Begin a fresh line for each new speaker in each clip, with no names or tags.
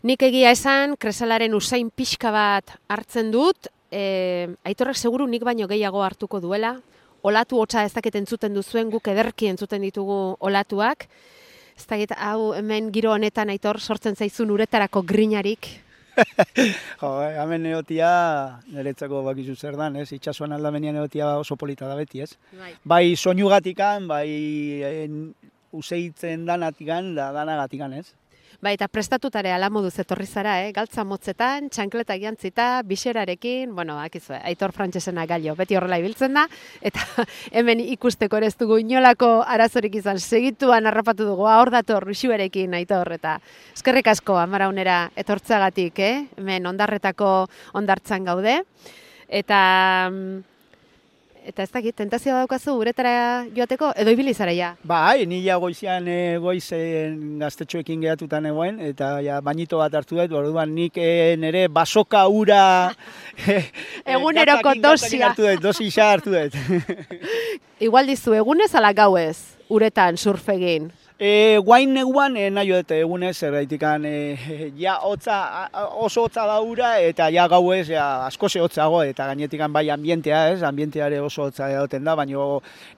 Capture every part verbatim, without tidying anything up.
Nik egia esan, kresalaren usain pixka bat hartzen dut, e, Aitorrek seguru nik baino gehiago hartuko duela, olatu hotza ez dakit entzuten duzuen, guk ederki entzuten ditugu olatuak, ez dakit hau hemen giro honetan Aitor sortzen zaizun uretarako grinarik.
Jo, hemen egotia, niretzako bakizu zer dan, ez? Itxasuan aldamenean egotia oso polita da beti, ez?
Bai,
bai soinugatikan, bai en, useitzen danatikan, da danagatikan, ez?
Bai, eta prestatutare ala moduz etorri zara, eh? Galtza motzetan, txankleta jantzita, biserarekin, bueno, akizu, Aitor Frantsesena gailo, beti horrela ibiltzen da, eta hemen ikusteko ere ez dugu inolako arazorik izan, segituan harrapatu dugu, hor dator, Ruxuerekin, Aitor, eta eskerrik asko, amaraunera etortzagatik, eh? Hemen ondarretako ondartzan gaude, eta... Eta ez dakit, tentazioa daukazu uretara joateko, edo ibili zara ja?
Bai, ni ja goizean e, goizen gaztetxoekin gehatutan egoen, eta ja, bainito bat hartu dut, orduan nik e, nire basoka ura...
Eguneroko dosia.
Hartu dut, dosisa hartu dut.
Igual dizu, egunez ala gauez, uretan surfegin?
E, guain neguan e, nahi dut egunez, zergaitikan e, ja hotza, oso hotza da ura, eta ja gauez ja, asko ze hotzago, eta gainetikan bai ambientea, ez, ambienteare oso hotza egoten da, baina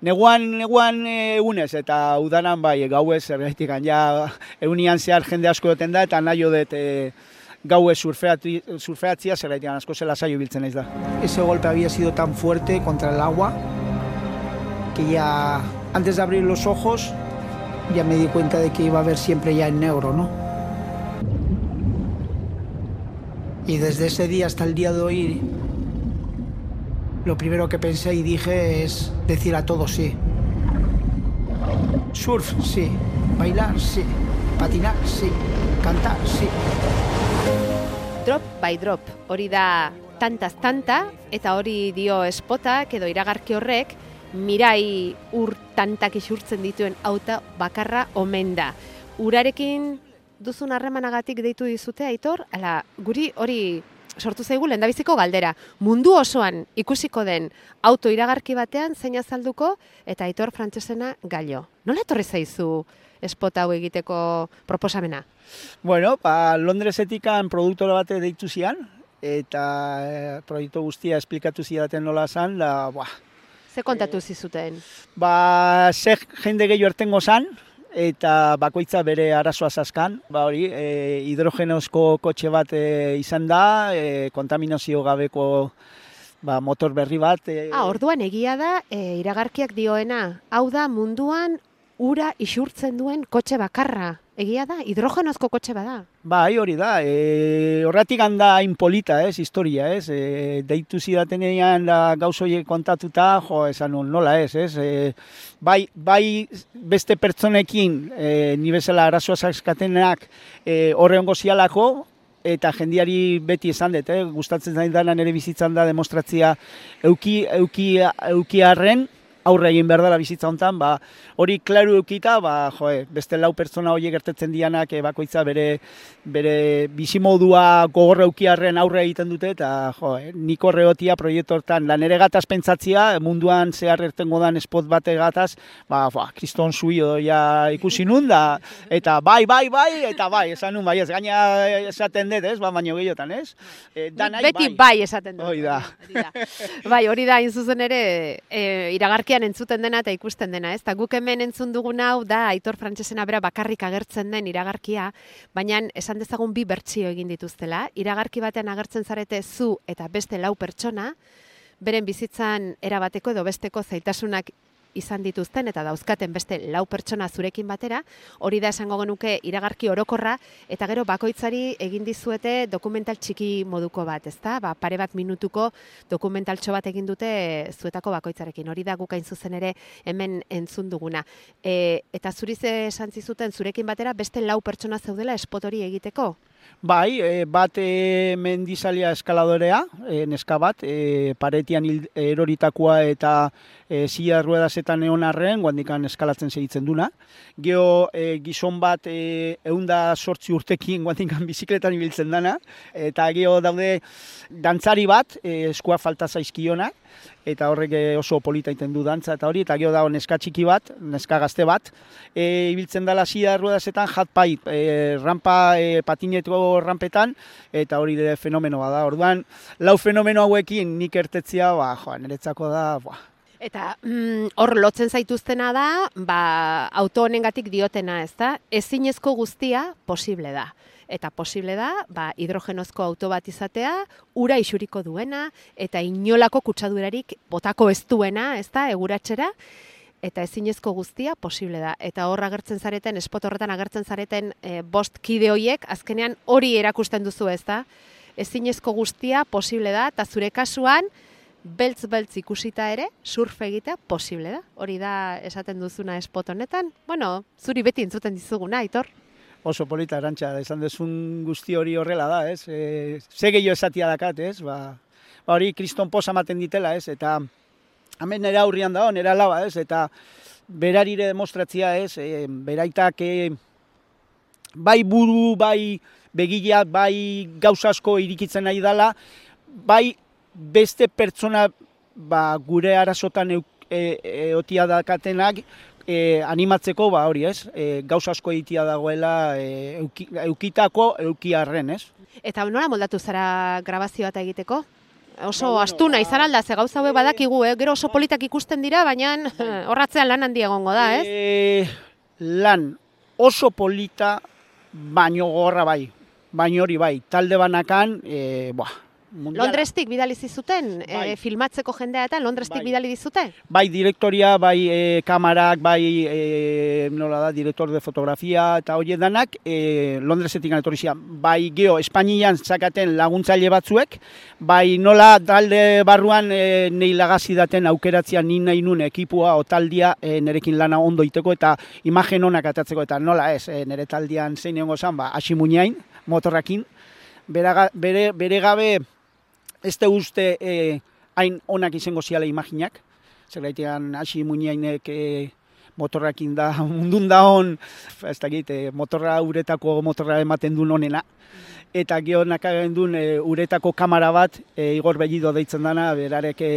neguan, neguan e, egunez, eta udanan bai gauez, zergaitikan ja eunian zehar jende asko egoten da, eta nahi dut e, gauez surfeatzia, zergaitikan asko zela saio biltzen naiz da.
Ese golpe había sido tan fuerte contra el agua que ya antes de abrir los ojos ya me di cuenta de que iba a ver siempre ya en negro, ¿no? Y desde ese día hasta el día de hoy, lo primero que pensé y dije es decir a todos sí. Surf, sí. Bailar, sí. Patinar, sí. Cantar, sí.
Drop by drop, hori da tantaz tanta, eta hori dio espotak edo iragarki horrek, mirai ur tantak isurtzen dituen auta bakarra omen da. Urarekin duzun harremanagatik deitu dizute, Aitor? Ala, guri hori sortu zaigu lehendabiziko galdera. Mundu osoan ikusiko den auto iragarki batean zein azalduko eta Aitor Frantsesena gailo. Nola etorri zaizu spot hau egiteko proposamena?
Bueno, ba, Londresetikan produktore bate deitu zian, eta e, proiektu guztia esplikatu zidaten nola zan, da, buah,
Ze kontatu zizuten?
Ba, ze jende gehiago ertengo zan, eta bakoitza bere arazoa zazkan. Ba hori, e, hidrogenozko kotxe bat e, izan da, e, kontaminazio gabeko ba, motor berri bat. E,
ah, orduan egia da, e, iragarkiak dioena, hau da munduan ura isurtzen duen kotxe bakarra. Egia da, hidrogenozko kotxe bada.
Bai, hori da. E, horretik handa inpolita, ez, historia, ez. E, deitu zidatenean da gauzoiek kontatuta, jo, esan nola ez, ez. E, bai, bai beste pertsonekin, e, ni bezala arazoa zaskatenak e, horre ongo zialako, eta jendiari beti esan dut, eh? Gustatzen zain dana nire bizitzan da demostratzia euki, euki, euki arren, aurre egin behar dela bizitza honetan, ba, hori klaru eukita, ba, joe, beste lau pertsona horiek gertetzen dianak e, bakoitza bere, bere bizimodua gogorra eukiarren aurre egiten dute, eta joe, nik horre gotia proiektu hortan, da nire gataz pentsatzia, munduan zehar ertengo dan spot bate gataz, ba, ba kriston zuio ja ikusi nun, da, eta bai, bai, bai, eta bai, esan nun, bai, ez gaina esaten dut, ez, ba, baino gehiotan, ez? E, danai,
Beti bai, bai esaten dut.
Hori da.
Bai, hori da, zuzen ere, e, iragarki entzuten dena eta ikusten dena, ez? Ta guk hemen entzun dugun hau da Aitor Frantsesena bera bakarrik agertzen den iragarkia, baina esan dezagun bi bertsio egin dituztela. Iragarki batean agertzen zarete zu eta beste lau pertsona, beren bizitzan erabateko edo besteko zailtasunak izan dituzten eta dauzkaten beste lau pertsona zurekin batera, hori da esango genuke iragarki orokorra, eta gero bakoitzari egin dizuete dokumental txiki moduko bat, ezta? Ba, pare bat minutuko dokumentaltxo bat egin dute zuetako bakoitzarekin. Hori da guk hain zuzen ere hemen entzun duguna. E, eta zuri ze esan zizuten zurekin batera beste lau pertsona zeudela spot hori egiteko?
Bai, e, bat e, mendizalia eskaladorea, e, neska bat, e, paretian hil, eroritakoa eta e, zila ruedazetan egon arren, guandikan eskalatzen segitzen duna. Geo e, gizon bat e, eunda sortzi urtekin guandikan bizikletan ibiltzen dana, eta geo daude dantzari bat, e, eskua falta zaizkionak, eta horrek oso polita iten du dantza eta hori, eta gero dago neska txiki bat, neska gazte bat, e, ibiltzen dela zila ruedazetan jatpai, e, rampa e, patinetu igo rampetan, eta hori de fenomenoa da. Orduan, lau fenomeno hauekin nik ertetzia, ba, joa, niretzako da, ba.
Eta mm, hor lotzen zaituztena da, ba, auto honengatik diotena, ez da? Ezinezko guztia posible da. Eta posible da, ba, hidrogenozko auto bat izatea, ura isuriko duena, eta inolako kutsadurarik botako ez duena, ez da, eguratxera, eta ezinezko guztia posible da. Eta hor agertzen zareten, espot horretan agertzen zareten e, bost kide hoiek, azkenean hori erakusten duzu, ez da? Ezinezko guztia posible da, eta zure kasuan, beltz-beltz ikusita ere, surf egitea posible da. Hori da esaten duzuna espot honetan. Bueno, zuri beti entzuten dizuguna, Aitor.
Oso polita, Arantxa, esan dezun guzti hori horrela da, ez? E, ze gehiago esatia dakat, ez? Ba, ba hori kriston posa ematen ditela, ez? Eta hemen nera aurrian da, nera laba, ez? Eta berarire demostratzia, ez? E, beraitak e, bai buru, bai begiak, bai gauza asko irikitzen nahi dela, bai beste pertsona ba, gure arazotan e, e, eotia dakatenak, E, animatzeko, ba hori ez, e, gauza asko egitea dagoela e, euki, eukitako eukiarren, ez?
Eta nola moldatu zara grabazio bat egiteko? Oso ba, astuna izan alda, ze gauza hauek badakigu, eh? Gero oso politak ikusten dira, baina horratzean lan handia egongo da, ez?
E, lan oso polita, baino gorra bai, baino hori bai, talde banakan, e, buah, mundiala.
Londrestik bidali zizuten, bai. e, filmatzeko jendea eta Londrestik bai. Bidali dizute?
Bai, direktoria, bai e, kamarak, bai e, nola da, direktor de fotografia eta horiek danak, e, Londresetik etorri zian. Bai, geho, Espainian zakaten laguntzaile batzuek, bai nola talde barruan e, nei lagazi daten aukeratzea ni nahi nun ekipua o taldia e, nerekin lana ondo iteko eta imagen onak atatzeko eta nola ez, e, nere taldian zein egongo zan, ba, hasi muñain, motorrakin, bere, bere, bere gabe ez te uste eh, hain onak izango ziala imaginak. Zergaitean hasi muñainek eh, motorrakin da, mundun da hon, ez da gite, motorra uretako motorra ematen duen onena. Eta gero nakagen duen e, uretako kamera bat, e, Igor Bellido deitzen dana, berarek e,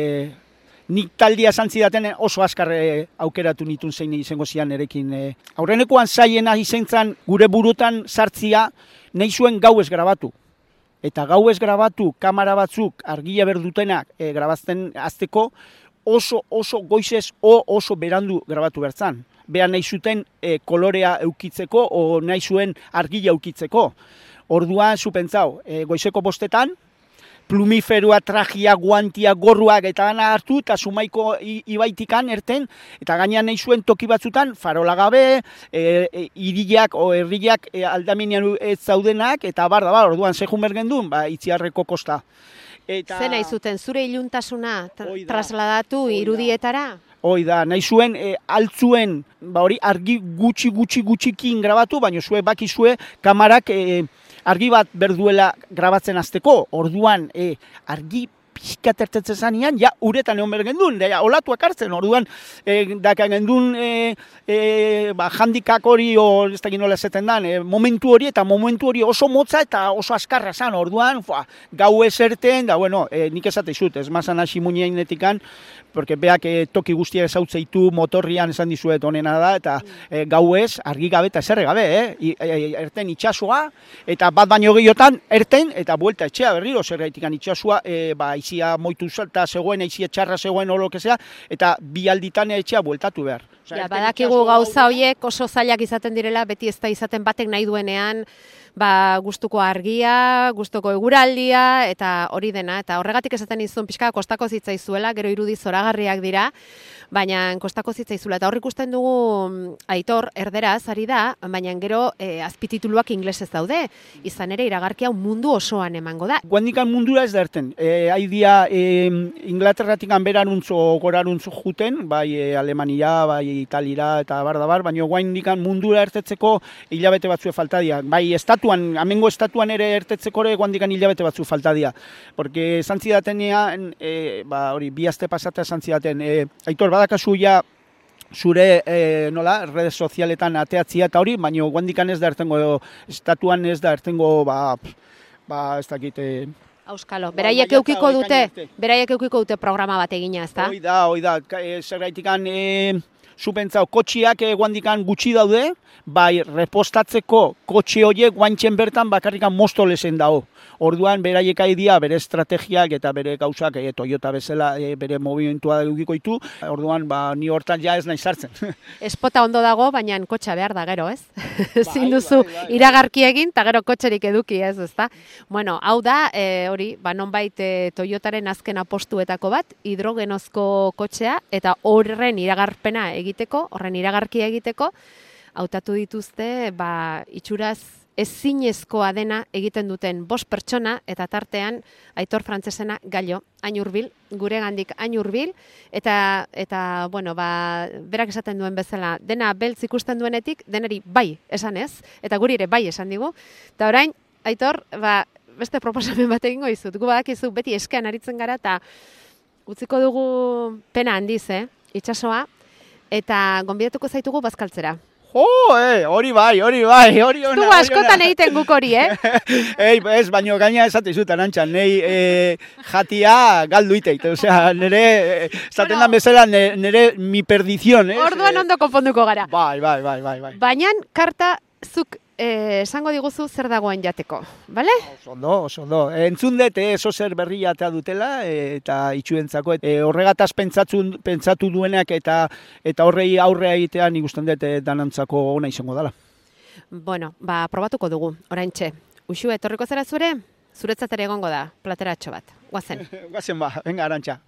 nik taldia zantzidaten oso askarre aukeratu nitun zein izango zian erekin. E. Aurrenekoan zaiena izentzan gure burutan sartzia, nahi zuen gauez grabatu. Eta gauez grabatu, kamera batzuk argia berdutenak e, grabazten azteko oso oso goizez o oso berandu grabatu bertzan. Beha nahi zuten e, kolorea eukitzeko o nahi zuen argia eukitzeko. Orduan, zu pentsau, e, goizeko bostetan, plumiferua, trajia, guantia, gorruak eta dana hartu, eta Zumaiko ibaitikan erten, eta gainean nahi zuen toki batzutan, farola gabe, e, e, iriak o herriak e, aldamenean ez zaudenak, eta bar da, bar, orduan zehun bergendun, ba, Itziarreko kosta. Eta... Zer
nahi zuten, zure iluntasuna tra trasladatu oida. Irudietara?
Hoi da, nahi zuen, e, altzuen, ba hori, argi gutxi gutxi gutxikin grabatu, baina zue bakizue kamarak e, argi bat berduela grabatzen azteko, orduan e, argi pixka tertetzen zanean, ja uretan egon bergendun, ja, olatuak hartzen, orduan e, daka gendun e, e, ba, handikak hori, o, ez da ginola zeten dan, e, momentu hori eta momentu hori oso motza eta oso askarra zan, orduan, fua, gau eserten, da, bueno, e, nik esate izut, ez mazan hasi muñeinetikan, porque beak e, toki guztiak ezautzeitu motorrian esan dizuet onena da, eta e, gau ez, argi gabe eta eserre gabe, eh? I, e, erten itxasua, eta bat baino gehiotan, erten, eta buelta etxea berriro, zer gaitikan itxasua, e, ba, izia moitu zelta zegoen, izia txarra zegoen, olo kezea, eta bi alditan etxea bueltatu behar.
Osea, ja, badakigu gauza horiek oso zailak izaten direla, beti ez da izaten batek nahi duenean, ba, gustuko argia, gustuko eguraldia, eta hori dena, eta horregatik esaten izun pixka kostako zitzaizuela, gero irudi zoragarriak dira, baina kostako zitzaizuela, eta hor ikusten dugu Aitor, erderaz, ari da, baina gero e, azpitituluak inglesez daude, izan ere iragarkia mundu osoan emango da.
Guandikan mundura ez da erten, e, haidia e, Inglaterratik anberaruntzo goraruntzo juten, bai e, Alemania, bai Italira eta bar da bar, baina guandikan mundura ertetzeko hilabete batzue falta dira, bai estatuan, amengo estatuan ere ertetzeko ere guandikan hilabete batzu falta dira, porque zantzidatenean, e, ba, hori, bi aste pasatea zantzidaten, e, Aitor, badakazu ja zure e, nola, redes sozialetan ateatzia eta hori, baina guandikan ez da ertengo, estatuan ez da ertengo, ba, ba ez dakit... E,
Auskalo, beraiek eukiko dute, beraiek eukiko dute programa bat egina, ezta?
Hoi da, hoi da, e, zergaitikan, e, zu pentsau, kotxiak guandikan gutxi daude, bai, repostatzeko kotxe horiek guantxen bertan bakarrikan mosto lezen dago. Orduan, beraiek aidia, bere estrategiak eta bere gauzak, e, Toyota bezala e, bere movimentua edukiko ditu, orduan, ba, ni hortan ja ez nahi sartzen.
Espota ondo dago, baina kotxa behar da gero, ez? Ezin
Bai,
duzu
bai, bai, bai.
iragarki egin, eta gero kotxerik eduki, ez, ezta? Bueno, hau da, e, hori, ba, nonbait e, Toyotaren azken apostuetako bat, hidrogenozko kotxea, eta horren iragarpena egiteko, horren iragarkia egiteko, hautatu dituzte, ba, itxuraz, ezinezkoa dena egiten duten bost pertsona, eta tartean Aitor Frantzesena Gallo, hain hurbil, gure gandik hain hurbil, eta, eta, bueno, ba, berak esaten duen bezala, dena beltz ikusten duenetik, deneri bai esan ez, eta guri ere bai esan digu, eta orain, Aitor, ba, beste proposamen bat egingo izut, gu badakizu beti eskean aritzen gara, eta utziko dugu pena handiz, eh, itsasoa, eta gonbidatuko zaitugu bazkaltzera.
Jo, eh, hori bai, hori bai, hori ona.
Du askotan egiten guk hori, eh?
Ei, ez, baino gaina esate izut, Arantxa, nei e, jatia galdu iteit, osea, nire, esaten
Bueno.
dan bezala, nire, nire mi perdizion, eh?
Orduan ondo konponduko gara.
Bai, bai, bai, bai, bai.
Baina, karta, zuk eh, esango diguzu zer dagoen jateko, bale?
Oso ondo, oso ondo. Entzun dut, eh, oso zer berria atea dutela, eh, eta itxuentzako, eh, horregataz pentsatu, pentsatu duenak eta eta horrei aurrea egitean ikusten dut eh, danantzako ona izango dela.
Bueno, ba, probatuko dugu, oraintxe. Uxu, etorriko zera zure? Zuretzat ere egongo da, plateratxo bat. Guazen.
Guazen ba, venga, Arantxa.